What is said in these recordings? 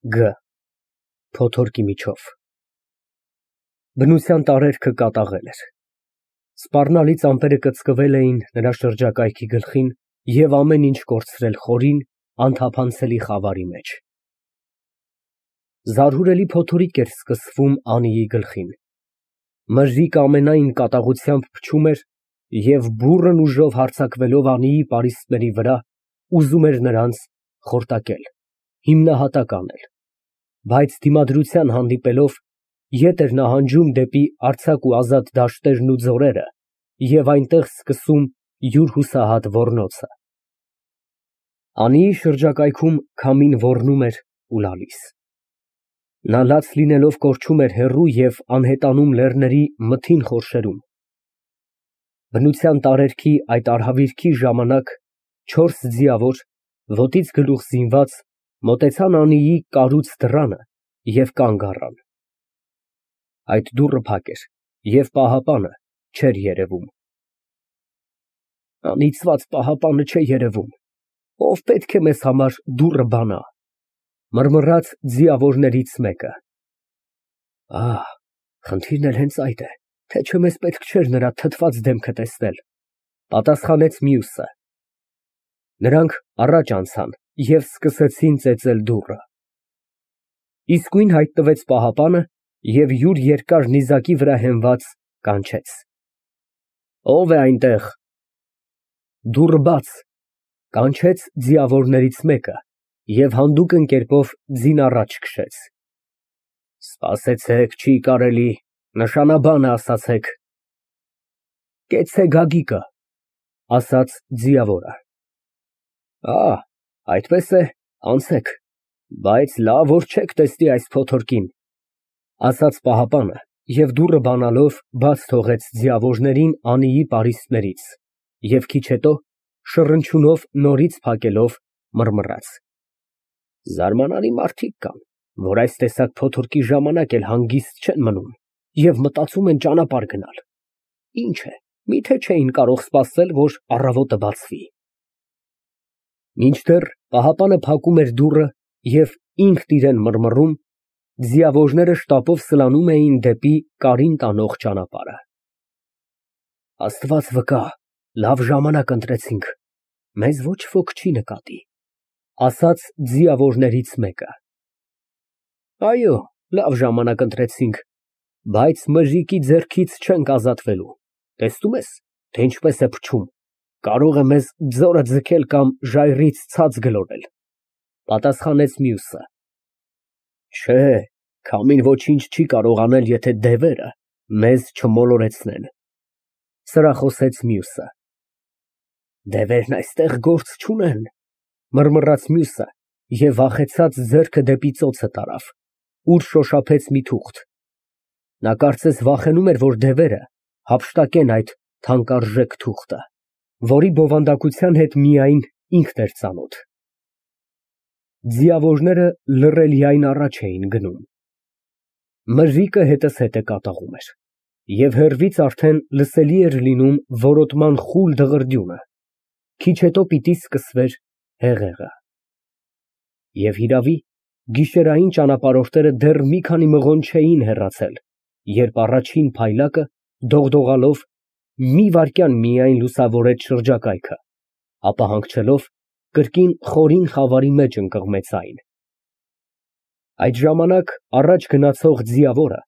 Գ. Փոթորկի միջով։ Բնության տարերքը կատաղել էր։ Սպառնալից ամպերը կծկվել էին նրա շրջակայքի գլխին և ամեն ինչ կորցրել խորին, անթափանցելի խավարի մեջ։ Զարհուրելի փոթորիկ էր սկսվում Անիի գլխին։ Մրրիկը ամենայն կատաղությամբ փչում էր և բուռն ուժով հարձակվելով Անիի պարիսպների վրա, ուզում էր նրանց խորտակել, հիմնահատակ անել, բայց դիմադրության հանդիպելով, ետ էր նահանջում դեպի արձակ ու ազատ դաշտերն ու ձորերը և այնտեղ սկսում յուր հուսահատ ոռնոցը։ Անիի շրջակայքում քամին ոռնում էր ու լալիս։ Նա լաց լինելով կորչում էր հեռու և անհետանում լեռների մթին խորշերում։ Բնության տարերքի այդ արհավիրքի ժամանակ չորս ձիավոր, ոտից գլուխ զինված, մոտեցան Անիի կառույց դռանը և կանգ առան։ Այդ դուռը փակ էր և պահապանը չէր երևում։ Անիծված պահապանը չէ երևում, ով պետք է մեզ համար դուռը բանա, մռմռաց ձիավորներից մեկը։ Խնդիրն էլ հենց այդ է, թե չէ մեզ պետք չէր նրա թթված դեմքը տեսնել, պատասխանեց մյուսը։ Նրանք առաջ անցան և սկսեցին ծեծել դուռը։ Իսկույն հայտնվեց պահապանը և յուր երկար նիզակի վրա հենված կանչեց. Ո՞վ է այնտեղ։ Դուռը բաց, կանչեց ձիավորներից մեկը և հանդուգն կերպով ձին առաջ քշեց։ Սպասեցեք, չի կարելի, նշանաբանը ասացեք։ Կեցցե գագիկը, ասաց ձիավորը։ Այդպես է, անցեք, բայց լավ որ չեք տեսնի այս փոթորկին, ասաց պահապանը և դուռը բանալով բաց թողեց ձիավորներին Անիի պարիսպներից և քիչ հետո շռնչյունով նորից փակելով մռմռաց. Զարմանալի մարդիկ կան, որ այս տեսակ փոթորկի ժամանակ էլ հանգիստ չեն մնում և մտածում են ճանապարհ գնալ։ Ինչ է, միթե չէին կարող սպասել, որ առավոտը բացվի։ Մինչդեռ պահապանը փակում էր դուռը և ինքն իրան մռմռում, ձիավորները շտապով սլանում էին դեպի կարին տանող ճանապարհը։ Աստված վկա, լավ ժամանակ ընտրեցինք, մեզ ոչ ոք չի նկատի, ասաց ձիավորներից մեկը։ Այո, լավ ժամանակ ընտրեցինք, բայց մրրիկի ձեռքից չենք ազատվելու, տեսնում ես, թե ինչպես է փչում, կարող է մեզ ձորը ձգել կամ ժայռից ցած գլորել, պատասխանեց մյուսը։ Չէ, քամին ոչինչ չի կարող անել, եթե դևերը մեզ չմոլորեցնեն, սրախոսեց մյուսը։ Դևերն այստեղ գործ չունեն, մռմռաց մյուսը և վախեցած ձեռքը դեպի ծոցը տարավ, ուր շոշափեց մի թուղթ։ Նա կարծես վախենում էր, որ դևերը հափշտակեն այդ թանկարժեք թուղթը, որի բովանդակության հետ միայն ինքն էր ծանոթ։ Ձիավորները լռելիայն առաջ էին գնում։ Մրրիկը հետզհետե կատաղում էր, և հեռվից արդեն լսելի էր լինում որոտման խուլ դղրդյունը, քիչ հետո պիտի սկսվեր հեղեղը։ Եվ հիրավի, գիշերային ճանապարհորդները դեռ մի քանի մղոն չէին հեռացել, երբ առաջին փայլակը, դողդողալով, մի վայրկյան միայն լուսավորեց շրջակայքը, ապա հանգչելով, կրկին խորին խավարի մեջ ընկղմեց այն։ Այդ ժամանակ առաջ գնացող ձիավորը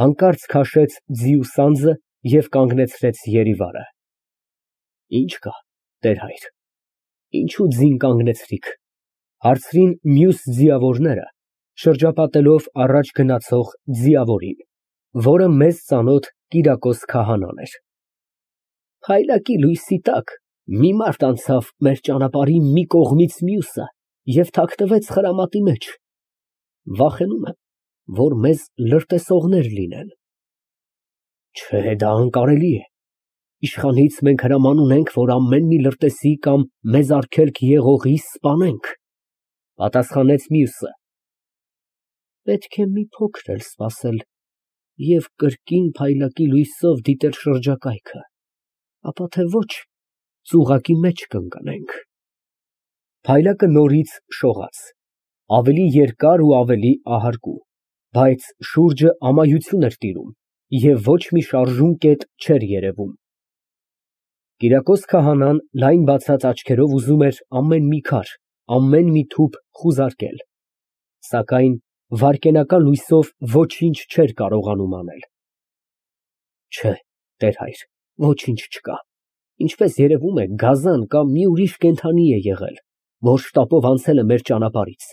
հանկարծ քաշեց ձիու սանձը և կանգնեցրեց երիվարը։ Ինչ կա, տեր հայր, ինչու ձին կանգնեցրիք, հարցրին մյուս ձիավորները, շրջապատելով առաջ գնացող ձիավորին, որը մեզ ծանոթ Կիրակոս քահանան էր։ Փայլակի լույսի տակ մի մարդ անցավ մեր ճանապարհի մի կողմից մյուսը և թաքնվեց խրամատի մեջ։ Վախենում եմ, որ մեզ լրտեսողներ լինեն։ Չէ, դա անկարելի է։ Իշխանից մենք հրաման ունենք, որ ամեն մի լրտեսի կամ մեզ արգելք եղողի սպանենք, պատասխանեց մյուսը։ Պետք է մի փոքր էլ սպասել և կրկին փայլակի լույսով դիտել շրջակայքը, ապա թե ոչ, ծուղակի մեջ կընկնենք։ Փայլակը նորից շողաց, ավելի երկար ու ավելի ահարկու, բայց շուրջը ամայություն էր տիրում և ոչ մի շարժուն կետ չէր երևում։ Կիրակոս քահանան լայն բացած աչքերով ուզում էր ամեն մի քար, ամեն մի թուփ խուզարկել, սակայն վայրկենական լույսով ոչինչ չէր կարողանում անել։ Չէ, տեր հայր, ոչինչ չկա, ինչպես երևում է, գազան կամ մի ուրիշ կենդանի է եղել, որ շտապով անցել է մեր ճանապարհից,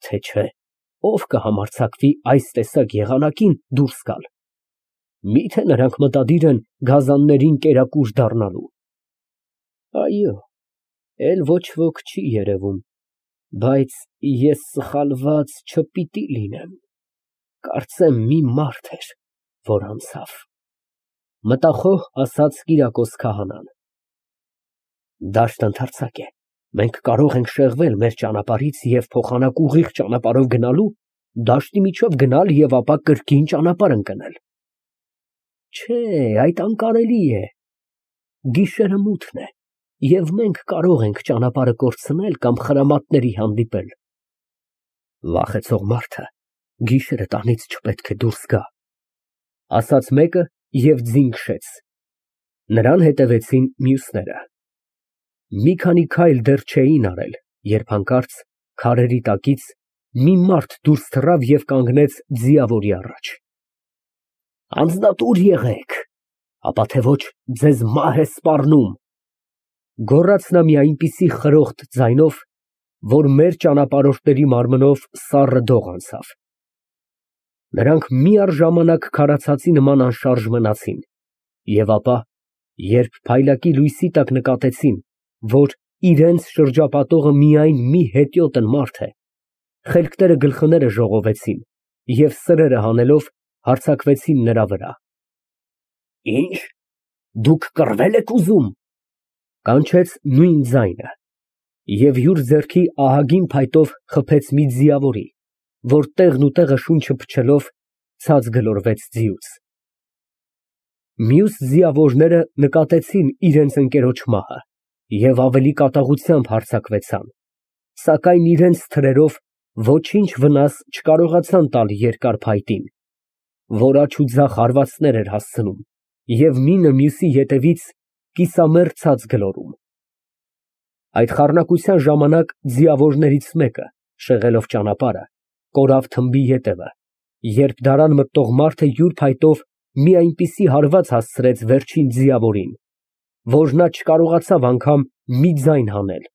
թե չէ, ով կհամարձակվի այս տեսակ եղանակին դուրս գալ։ Միթե նրանք մտադիր են գազաններին կերակուր դառնալու։ Այո, էլ ոչ ոք չի երևում, բայց ես սխալված չպիտի լինեմ, կարծեմ մի մարդ էր, որ անցավ, մտախոհ ասաց Կիրակոս քահանան։ Դաշտը ընդարձակ է, մենք կարող ենք շեղվել մեր ճանապարհից և փոխանակ ուղիղ ճանապարհով գնալու, դաշտի միջով գնալ և ապա կրկին ճանապարհ ընկնել։ Չէ, այդ անկարելի է, գիշերը մութն է, և մենք կարող ենք ճանապարհը կորցնել կամ խրամատների հանդիպել։ Վախեցող մարդը գիշերը տանից չպետք է դուրս գա, ասաց մեկը և ձին քշեց։ Նրան հետևեցին մյուսները։ Մի քանի քայլ դեռ չէին արել, երբ հանկարծ քարերի տակից մի մարդ դուրս թռավ և կանգնեց ձիավորի առաջ։ Անձնատուր եղեք, ապա թե ոչ ձեզ մահ է սպառնում, գոռաց նա մի այնպիսի խրոխտ ձայնով, որ մեր ճանապարհորդների մարմնով սառը դող անցավ։ Նրանք միառժամանակ քարացածի նման անշարժ մնացին, և ապա, երբ փայլակի լույսի տակ նկատեցին, որ իրենց շրջապատողը միայն մի հետիոտն մարդ է, խելքները գլխները ժողովեցին և սրերը հանելով հարձակվեցին նրա վրա։ Ինչ, դուք կռվե՞լ եք ուզում, կանչեց նույն ձայնը, և յուր ձեռքի ահագին փայտով խփեց մի ձիավորի, որ տեղն ու տեղը շունչը փչելով ցած գլորվեց ձիուց։ Մյուս ձիավորները նկատեցին իրենց ընկերոջ մահը և ավելի կատաղությամբ հարձակվեցան, սակայն իրենց թրերով ոչինչ վնաս չկարողացան տալ երկար փայտին, որ աջ ու ձախ հարվածներ էր հասցնում և մինը մյուսի ետևից կիսամերկ ցած գլորում։ Այդ խառնակության ժամանակ ձիավորներից մեկը, շեղելով ճանապարհը, կորավ թմբի ետևը, երբ դարան մտնող մարդը յուր փայտով մի այնպիսի հարված հասցրեց վերջին ձիավորին, որ նա չկարողացավ անգամ մի ձայն հանել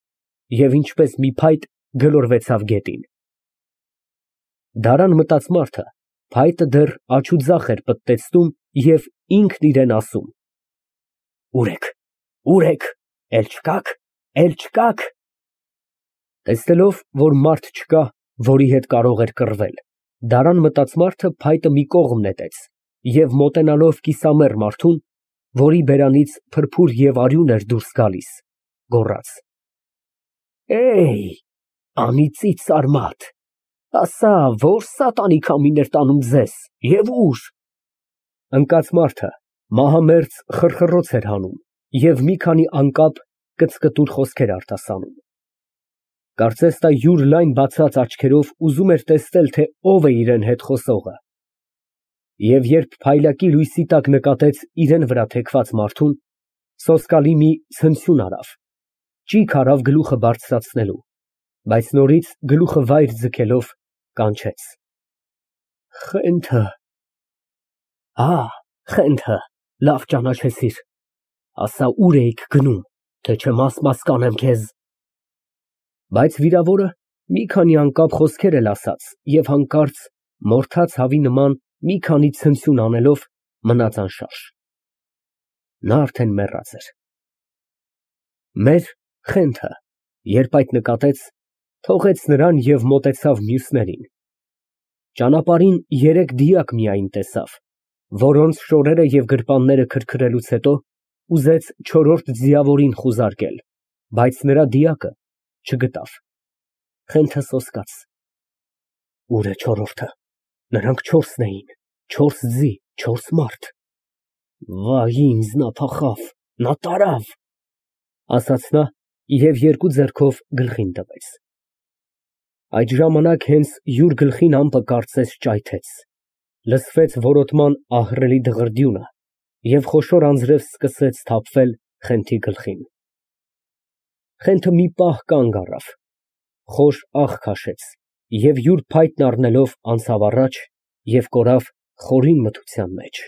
և ինչպես մի փայտ գլորվեցավ գետին։ Դարան մտած մարդը փայտը դեռ աջ ու ձախ էր պտտեցնում և ինքն իրան ասում. Ուր եք, էլ չկաք։ Տեսնելով, որ մարդ չկա, որի հետ կարող էր կռվել, դարան մտած մարդը փայտը մի կողմ նետեց և մոտենալով կիսամեռ մարդուն, որի բերանից փրփուր և արյուն էր դուրս գալիս, գոռաց. Անիծի ծարմատ, ասա, որ սատանի քամին էր տանում ձեզ և ուր։ Ընկած մարդը մահամերձ խռխռոց էր հանում և մի քանի անկապ կծկտուր խոսքեր արտասանում։ Կարծես նա յուր լայն բացած աչքերով ուզում էր տեսնել, թե ով է իրան հետ խոսողը, և երբ փայլակի լույսի տակ նկատեց իրան վրա թեքված մարդուն, սոսկալի մի ցնցյուն արավ, ճիգ արավ գլուխը բարձրացնելու, բայց նորից գլուխը վայր ձգելով կանչեց. Խենթը, լավ ճանաչեցիր, ասա ուր էիք գնում, թե չէ մաս կանեմ քեզ։ Բայց վիրավորը մի քանի անկապ խոսքեր էլ ասաց և հանկարծ մորթած հավի նման մի քանի ցնցյուն անելով մնաց անշարժ։ Նա արդեն մեռած էր։ Մեր Խենթը, երբ այդ նկատեց, թողեց նրան և մոտեցավ մյուսներին։ Ճանապարհին երեք դիակ միայն տեսավ, որոնց շորերը և գրպանները քրքրելուց հետո ուզեց չորրորդ ձիավորին խուզարկել, բայց նրա դիակը չգտավ։ Խենթը սոսկաց. Ո՞ւր է չորրորդը, նրանք չորսն էին, չորս ձի, չորս մարդ։ Վայ ինձ, նա փախավ, նա տարավ, ասաց նա և երկու ձեռքով գլխին տվեց։ Այդ ժամանակ հենց յուր գլխին ամպը կարծես ճայթեց, լսվեց որոտման ահռելի դղրդյունը և խոշոր անձրև սկսեց թափվել Խենթի գլխին։ Խենթը մի պահ կանգ առավ, խոր աղ քաշեց և յուր փայտն առնելով անցավ առաջ և կորավ խորին մթության մեջ։